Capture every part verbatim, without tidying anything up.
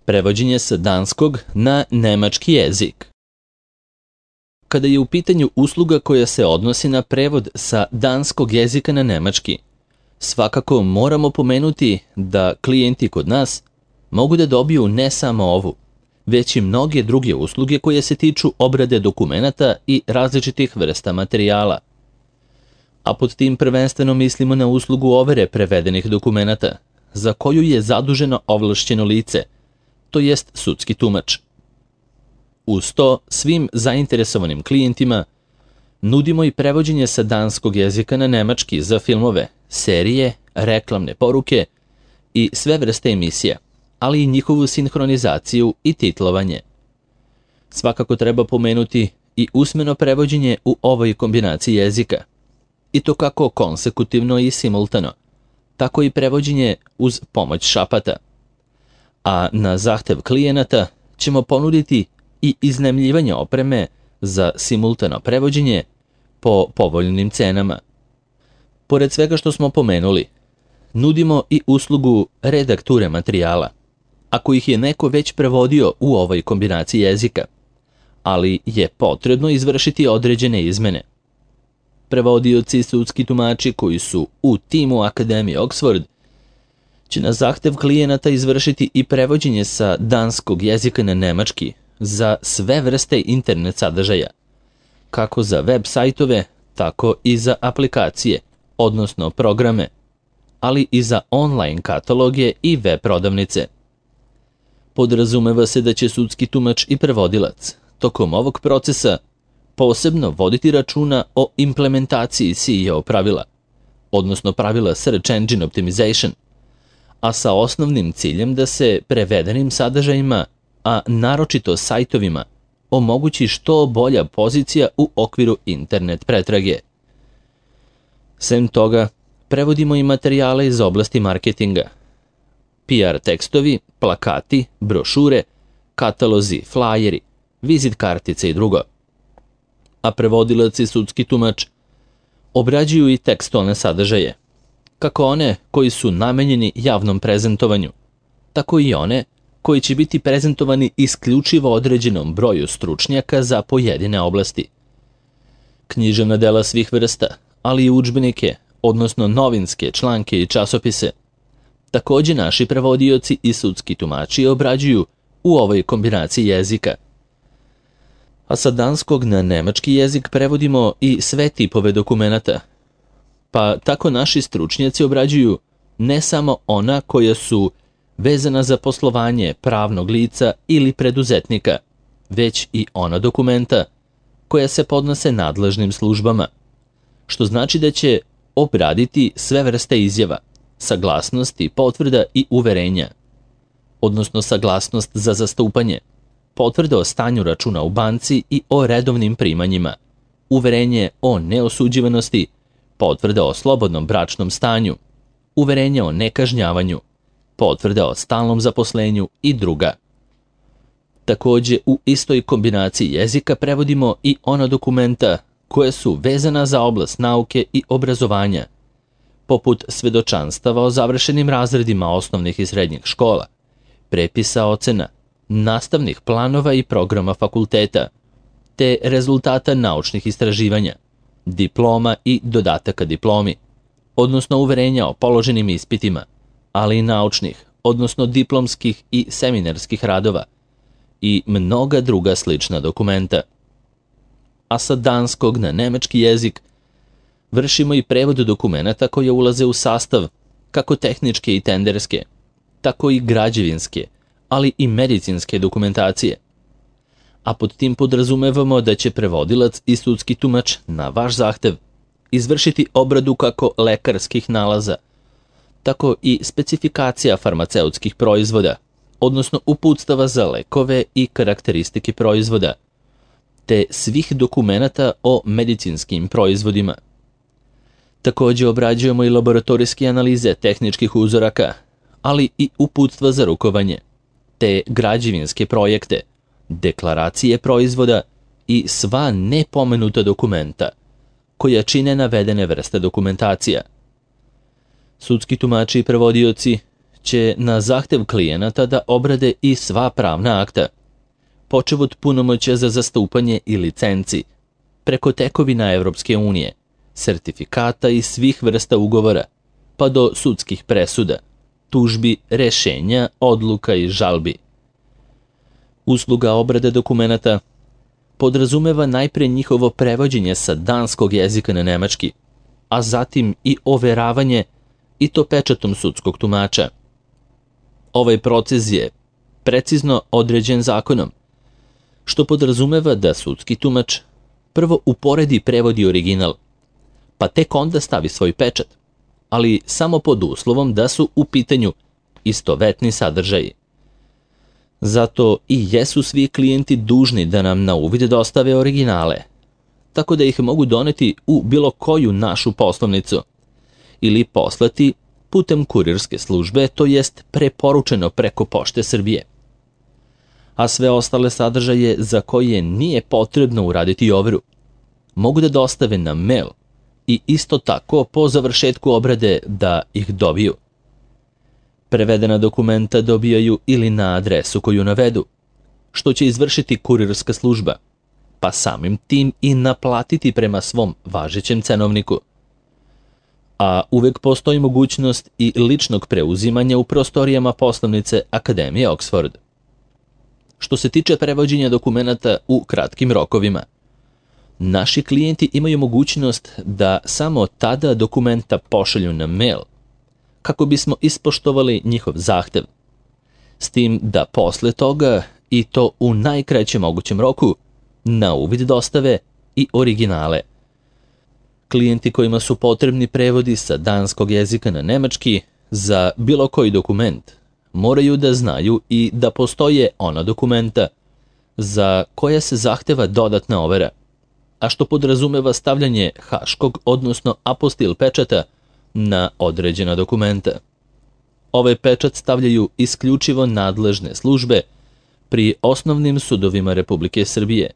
Prevođenje sa danskog na nemački jezik. Kada je u pitanju usluga koja se odnosi na prevod sa danskog jezika na nemački, svakako moramo pomenuti da klijenti kod nas mogu da dobiju ne samo ovu, već i mnoge druge usluge koje se tiču obrade dokumenata i različitih vrsta materijala. A pod tim prvenstveno mislimo na uslugu overe prevedenih dokumenata, za koju je zaduženo ovlašćeno lice, to jest sudski tumač. Uz to, svim zainteresovanim klijentima nudimo i prevođenje sa danskog jezika na nemački za filmove, serije, reklamne poruke i sve vrste emisija, ali i njihovu sinhronizaciju i titlovanje. Svakako treba pomenuti i usmeno prevođenje u ovoj kombinaciji jezika, i to kako konsekutivno i simultano, tako i prevođenje uz pomoć šapata. A na zahtev klijenata ćemo ponuditi i iznajmljivanje opreme za simultano prevođenje po povoljnim cenama. Pored svega što smo pomenuli, nudimo i uslugu redakture materijala, ako ih je neko već prevodio u ovoj kombinaciji jezika, ali je potrebno izvršiti određene izmene. Prevodioci i sudski tumači koji su u timu Akademije Oxford će na zahtev klijenata izvršiti i prevođenje sa danskog jezika na nemački za sve vrste internet sadržaja, kako za web sajtove, tako i za aplikacije, odnosno programe, ali i za online kataloge i web prodavnice. Podrazumeva se da će sudski tumač i prevodilac tokom ovog procesa posebno voditi računa o implementaciji S E O pravila, odnosno pravila Search Engine Optimization, a sa osnovnim ciljem da se prevedenim sadržajima, a naročito sajtovima, omogući što bolja pozicija u okviru internet pretrage. Sem toga, prevodimo i materijale iz oblasti marketinga, P R tekstovi, plakati, brošure, katalozi, flajeri, vizit kartice i drugo. A prevodilac i sudski tumač obrađuju i tekstualne sadržaje, kako one koji su namenjeni javnom prezentovanju, tako i one koji će biti prezentovani isključivo određenom broju stručnjaka za pojedine oblasti. Književna dela svih vrsta, ali i udžbenike, odnosno novinske članke i časopise, takođe naši prevodioci i sudski tumači obrađuju u ovoj kombinaciji jezika. A sa danskog na nemački jezik prevodimo i sve tipove dokumenata, pa tako naši stručnjaci obrađuju ne samo ona koja su vezana za poslovanje pravnog lica ili preduzetnika, već i ona dokumenta koja se podnose nadležnim službama, što znači da će obraditi sve vrste izjava, saglasnosti, potvrda i uverenja, odnosno saglasnost za zastupanje, potvrda o stanju računa u banci i o redovnim primanjima, uverenje o neosuđivanosti, potvrda o slobodnom bračnom stanju, uverenje o nekažnjavanju, potvrda o stalnom zaposlenju i druga. Takođe, u istoj kombinaciji jezika prevodimo i ona dokumenta koja su vezana za oblast nauke i obrazovanja, poput svedočanstava o završenim razredima osnovnih i srednjih škola, prepisa ocena, nastavnih planova i programa fakulteta, te rezultata naučnih istraživanja, diploma i dodataka diplomi, odnosno uverenja o položenim ispitima, ali i naučnih, odnosno diplomskih i seminarskih radova i mnoga druga slična dokumenta. A sa danskog na nemački jezik vršimo i prevod dokumenata koje ulaze u sastav, kako tehničke i tenderske, tako i građevinske, ali i medicinske dokumentacije. A pod tim podrazumevamo da će prevodilac i sudski tumač na vaš zahtev izvršiti obradu kako lekarskih nalaza, tako i specifikacija farmaceutskih proizvoda, odnosno uputstava za lekove i karakteristike proizvoda, te svih dokumenata o medicinskim proizvodima. Takođe obrađujemo i laboratorijske analize tehničkih uzoraka, ali i uputstva za rukovanje, te građevinske projekte, deklaracije proizvoda i sva nepomenuta dokumenta koja čine navedene vrste dokumentacija. Sudski tumači i prevodioci će na zahtev klijenata da obrade i sva pravna akta, počev od punomoćja za zastupanje i licenci, preko tekovina Evropske unije, sertifikata i svih vrsta ugovora, pa do sudskih presuda, tužbi, rešenja, odluka i žalbi. Usluga obrade dokumenata podrazumeva najpre njihovo prevođenje sa danskog jezika na nemački, a zatim i overavanje, i to pečatom sudskog tumača. Ovaj proces je precizno određen zakonom, što podrazumeva da sudski tumač prvo uporedi prevod i original, pa tek onda stavi svoj pečat, ali samo pod uslovom da su u pitanju istovetni sadržaji. Zato i jesu svi klijenti dužni da nam na uvid dostave originale, tako da ih mogu doneti u bilo koju našu poslovnicu ili poslati putem kurirske službe, to jest preporučeno preko Pošte Srbije. A sve ostale sadržaje za koje nije potrebno uraditi overu mogu da dostave na mail i isto tako po završetku obrade da ih dobiju. Prevedena dokumenta dobijaju ili na adresu koju navedu, što će izvršiti kurirska služba, pa samim tim i naplatiti prema svom važećem cenovniku. A uvek postoji mogućnost i ličnog preuzimanja u prostorijama poslovnice Akademije Oxford. Što se tiče prevođenja dokumenata u kratkim rokovima, naši klijenti imaju mogućnost da samo tada dokumenta pošalju na mail, kako bismo ispoštovali njihov zahtev, s tim da posle toga, i to u najkraćem mogućem roku, na uvid dostave i originale. Klijenti kojima su potrebni prevodi sa danskog jezika na nemački za bilo koji dokument moraju da znaju i da postoje ona dokumenta za koje se zahteva dodatna overa, a što podrazumeva stavljanje haškog, odnosno apostil pečata na određena dokumenta. Ovaj pečat stavljaju isključivo nadležne službe pri osnovnim sudovima Republike Srbije,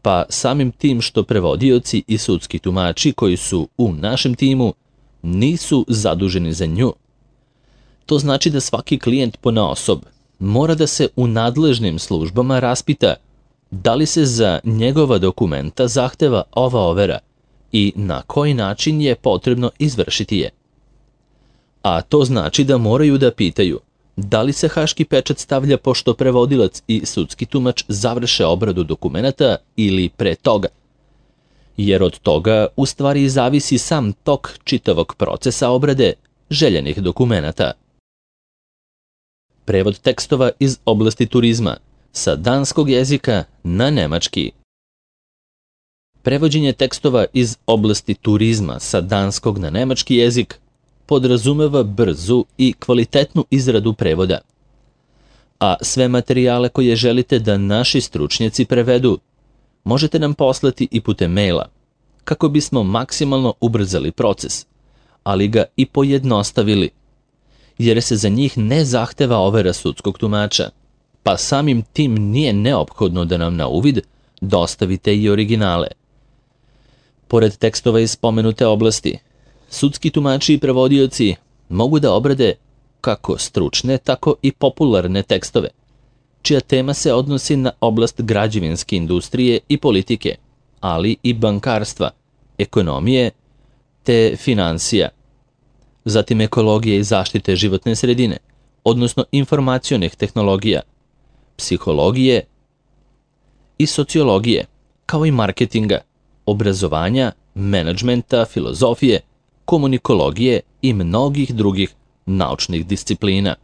pa samim tim što prevodioci i sudski tumači koji su u našem timu nisu zaduženi za nju. To znači da svaki klijent ponaosob mora da se u nadležnim službama raspita da li se za njegova dokumenta zahteva ova overa i na koji način je potrebno izvršiti je. A to znači da moraju da pitaju da li se haški pečat stavlja pošto prevodilac i sudski tumač završe obradu dokumenata ili pre toga, jer od toga u stvari zavisi sam tok čitavog procesa obrade željenih dokumenata. Prevod tekstova iz oblasti turizma sa danskog jezika na nemački. Prevođenje tekstova iz oblasti turizma sa danskog na nemački jezik podrazumeva brzu i kvalitetnu izradu prevoda. A sve materijale koje želite da naši stručnjaci prevedu, možete nam poslati i putem maila, kako bismo maksimalno ubrzali proces, ali ga i pojednostavili, jer se za njih ne zahteva overa sudskog tumača, pa samim tim nije neophodno da nam na uvid dostavite i originale. Pored tekstova iz spomenute oblasti, sudski tumači i prevodioci mogu da obrade kako stručne, tako i popularne tekstove, čija tema se odnosi na oblast građevinske industrije i politike, ali i bankarstva, ekonomije te finansija, zatim ekologije i zaštite životne sredine, odnosno informacionih tehnologija, psihologije i sociologije, kao i marketinga, obrazovanja, menadžmenta, filozofije, komunikologije i mnogih drugih naučnih disciplina.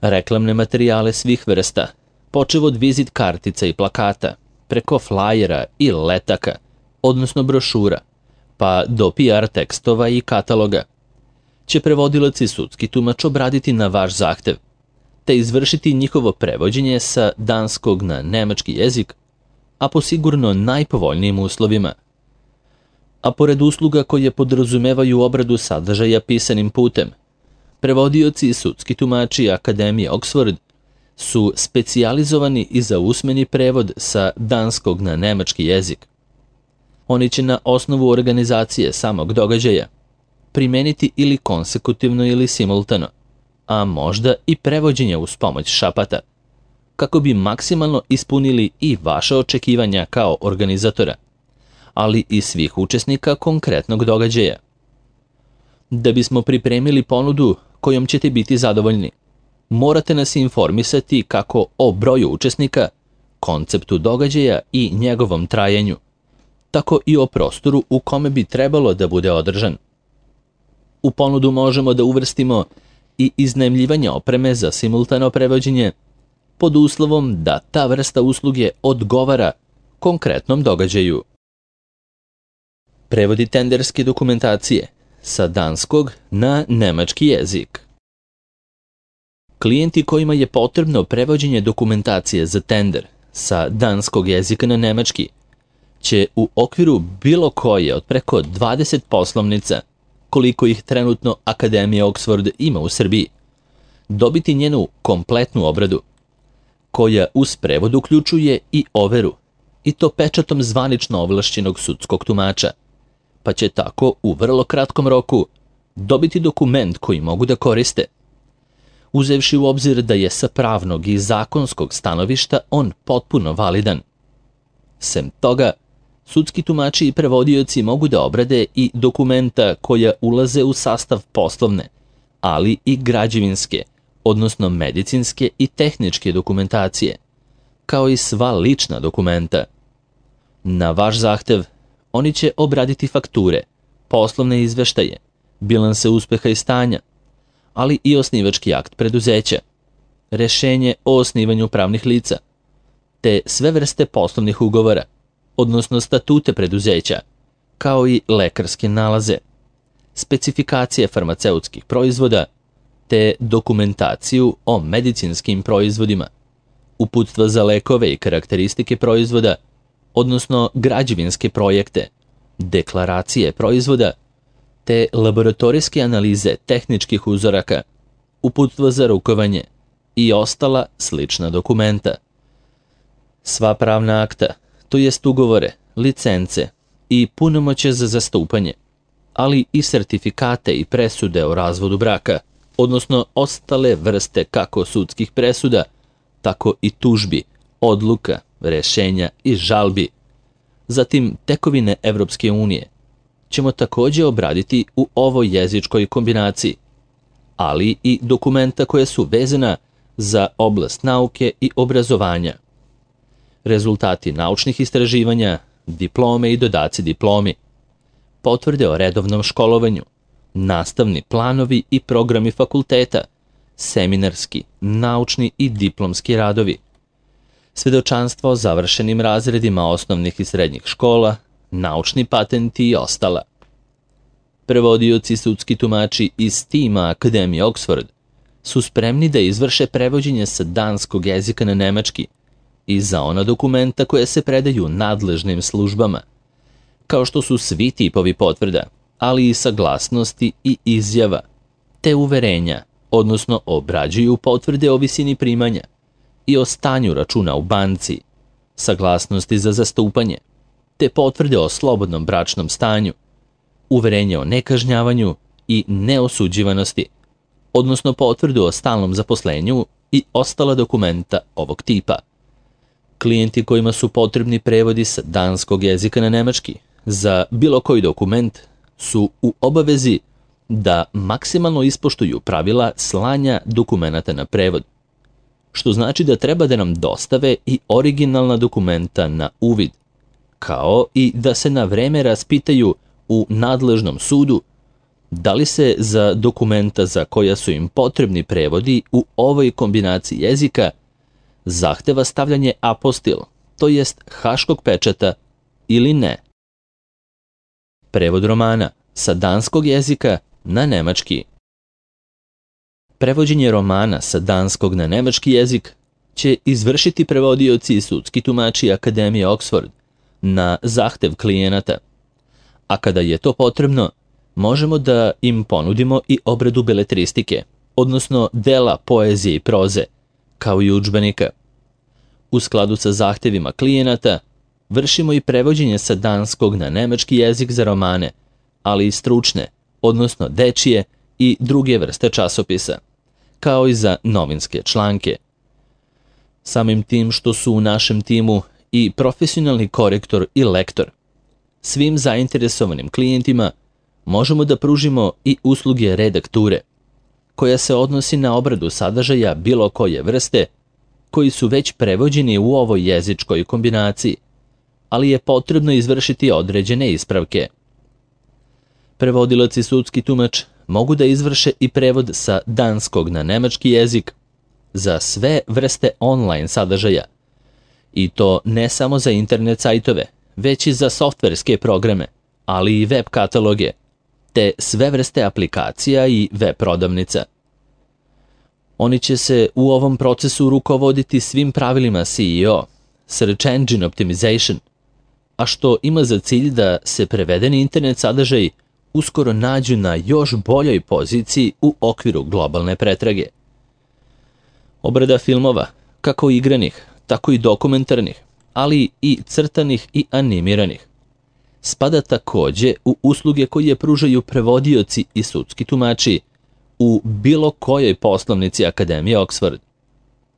Reklamne materijale svih vrsta, počev od vizit kartica i plakata, preko flajera i letaka, odnosno brošura, pa do P R tekstova i kataloga, će prevodilac i sudski tumač obraditi na vaš zahtev, te izvršiti njihovo prevođenje sa danskog na nemački jezik, a po sigurno najpovoljnijim uslovima. A pored usluga koje podrazumevaju obradu sadržaja pisanim putem, prevodioci i sudski tumači Akademije Oxford su specijalizovani i za usmeni prevod sa danskog na nemački jezik. Oni će na osnovu organizacije samog događaja primeniti ili konsekutivno ili simultano a možda i prevođenje uz pomoć šapata, kako bi maksimalno ispunili i vaše očekivanja kao organizatora, ali i svih učesnika konkretnog događaja. Da bismo pripremili ponudu kojom ćete biti zadovoljni, morate nas informisati kako o broju učesnika, konceptu događaja i njegovom trajanju, tako i o prostoru u kome bi trebalo da bude održan. U ponudu možemo da uvrstimo i iznajmljivanje opreme za simultano prevođenje, pod uslovom da ta vrsta usluge odgovara konkretnom događaju. Prevodi tenderske dokumentacije sa danskog na nemački jezik. Klijenti kojima je potrebno prevođenje dokumentacije za tender sa danskog jezika na nemački će u okviru bilo koje od preko dvadeset poslovnica, koliko ih trenutno Akademija Oxford ima u Srbiji, dobiti njenu kompletnu obradu, koja uz prevod uključuje i overu, i to pečatom zvanično ovlašćenog sudskog tumača, pa će tako u vrlo kratkom roku dobiti dokument koji mogu da koriste, uzevši u obzir da je sa pravnog i zakonskog stanovišta on potpuno validan. Sem toga, sudski tumači i prevodioci mogu da obrade i dokumenta koja ulaze u sastav poslovne, ali i građevinske, odnosno medicinske i tehničke dokumentacije, kao i sva lična dokumenta. Na vaš zahtev, oni će obraditi fakture, poslovne izveštaje, bilanse uspeha i stanja, ali i osnivački akt preduzeća, rešenje o osnivanju pravnih lica, te sve vrste poslovnih ugovora, odnosno statute preduzeća, kao i lekarske nalaze, specifikacije farmaceutskih proizvoda, te dokumentaciju o medicinskim proizvodima, uputstva za lekove i karakteristike proizvoda, odnosno građevinske projekte, deklaracije proizvoda, te laboratorijske analize tehničkih uzoraka, uputstva za rukovanje i ostala slična dokumenta. Sva pravna akta, to jest ugovore, licence i punomoćje za zastupanje, ali i sertifikate i presude o razvodu braka, odnosno ostale vrste kako sudskih presuda, tako i tužbi, odluka, rešenja i žalbi. Zatim tekovine Evropske unije ćemo također obraditi u ovoj jezičkoj kombinaciji, ali i dokumenta koje su vezana za oblast nauke i obrazovanja. Rezultati naučnih istraživanja, diplome i dodaci diplomi, potvrde o redovnom školovanju, nastavni planovi i programi fakulteta, seminarski, naučni i diplomski radovi, svedočanstvo o završenim razredima osnovnih i srednjih škola, naučni patenti i ostala. Prevodioci sudski tumači iz tima Akademije Oxford su spremni da izvrše prevođenje sa danskog jezika na nemački i za ona dokumenta koje se predaju nadležnim službama, kao što su svi tipovi potvrda, ali i saglasnosti i izjava, te uverenja, odnosno obrađuju potvrde o visini primanja i o stanju računa u banci, saglasnosti za zastupanje, te potvrde o slobodnom bračnom stanju, uverenje o nekažnjavanju i neosuđivanosti, odnosno potvrdu o stalnom zaposlenju i ostala dokumenta ovog tipa. Klijenti kojima su potrebni prevodi sa danskog jezika na nemački za bilo koji dokument su u obavezi da maksimalno ispoštuju pravila slanja dokumenata na prevod, što znači da treba da nam dostave i originalna dokumenta na uvid, kao i da se na vreme raspitaju u nadležnom sudu da li se za dokumenta za koja su im potrebni prevodi u ovoj kombinaciji jezika zahteva stavljanje apostil, to jest haškog pečata, ili ne. Prevod romana sa danskog jezika na nemački. Prevođenje romana sa danskog na nemački jezik će izvršiti prevodioci i sudski tumači Akademije Oxford na zahtev klijenata, a kada je to potrebno, možemo da im ponudimo i obradu beletristike, odnosno dela poezije i proze, kao i udžbenika. U skladu sa zahtevima klijenata, vršimo i prevođenje sa danskog na nemački jezik za romane, ali i stručne, odnosno dečije i druge vrste časopisa, kao i za novinske članke. Samim tim što su u našem timu i profesionalni korektor i lektor, svim zainteresovanim klijentima možemo da pružimo i usluge redakture, koja se odnosi na obradu sadržaja bilo koje vrste, koji su već prevođeni u ovoj jezičkoj kombinaciji, ali je potrebno izvršiti određene ispravke. Prevodilac i sudski tumač mogu da izvrše i prevod sa danskog na nemački jezik za sve vrste online sadržaja, i to ne samo za internet sajtove, već i za softverske programe, ali i web kataloge, te sve vrste aplikacija i web prodavnica. Oni će se u ovom procesu rukovoditi svim pravilima S E O, Search Engine Optimization, a što ima za cilj da se prevedeni internet sadržaji uskoro nađu na još boljoj poziciji u okviru globalne pretrage. Obrada filmova, kako igranih, tako i dokumentarnih, ali i crtanih i animiranih, spada takođe u usluge koje pružaju prevodioci i sudski tumači u bilo kojoj poslovnici Akademije Oxford,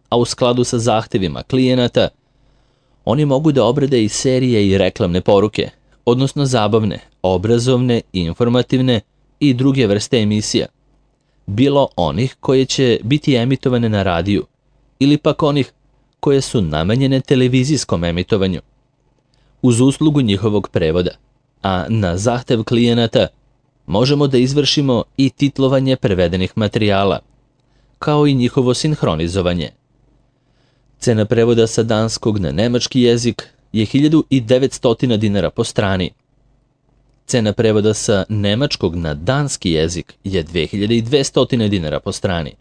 a u skladu sa zahtevima klijenata, oni mogu da obrade i serije i reklamne poruke, odnosno zabavne, obrazovne, informativne i druge vrste emisija, bilo onih koje će biti emitovane na radiju ili pak onih koje su namenjene televizijskom emitovanju, uz uslugu njihovog prevoda, a na zahtev klijenata možemo da izvršimo i titlovanje prevedenih materijala, kao i njihovo sinhronizovanje. Cena prevoda sa danskog na nemački jezik je hiljadu devetsto dinara po strani. Cena prevoda sa nemačkog na danski jezik je dve hiljade dvesta dinara po strani.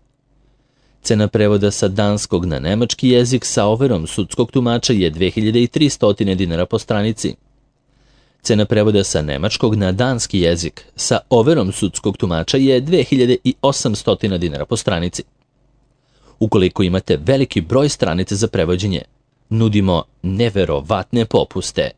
Cena prevoda sa danskog na nemački jezik sa overom sudskog tumača je dve hiljade tristo dinara po stranici. Cena prevoda sa nemačkog na danski jezik sa overom sudskog tumača je dve hiljade osamsto dinara po stranici. Ukoliko imate veliki broj stranica za prevođenje, nudimo neverovatne popuste.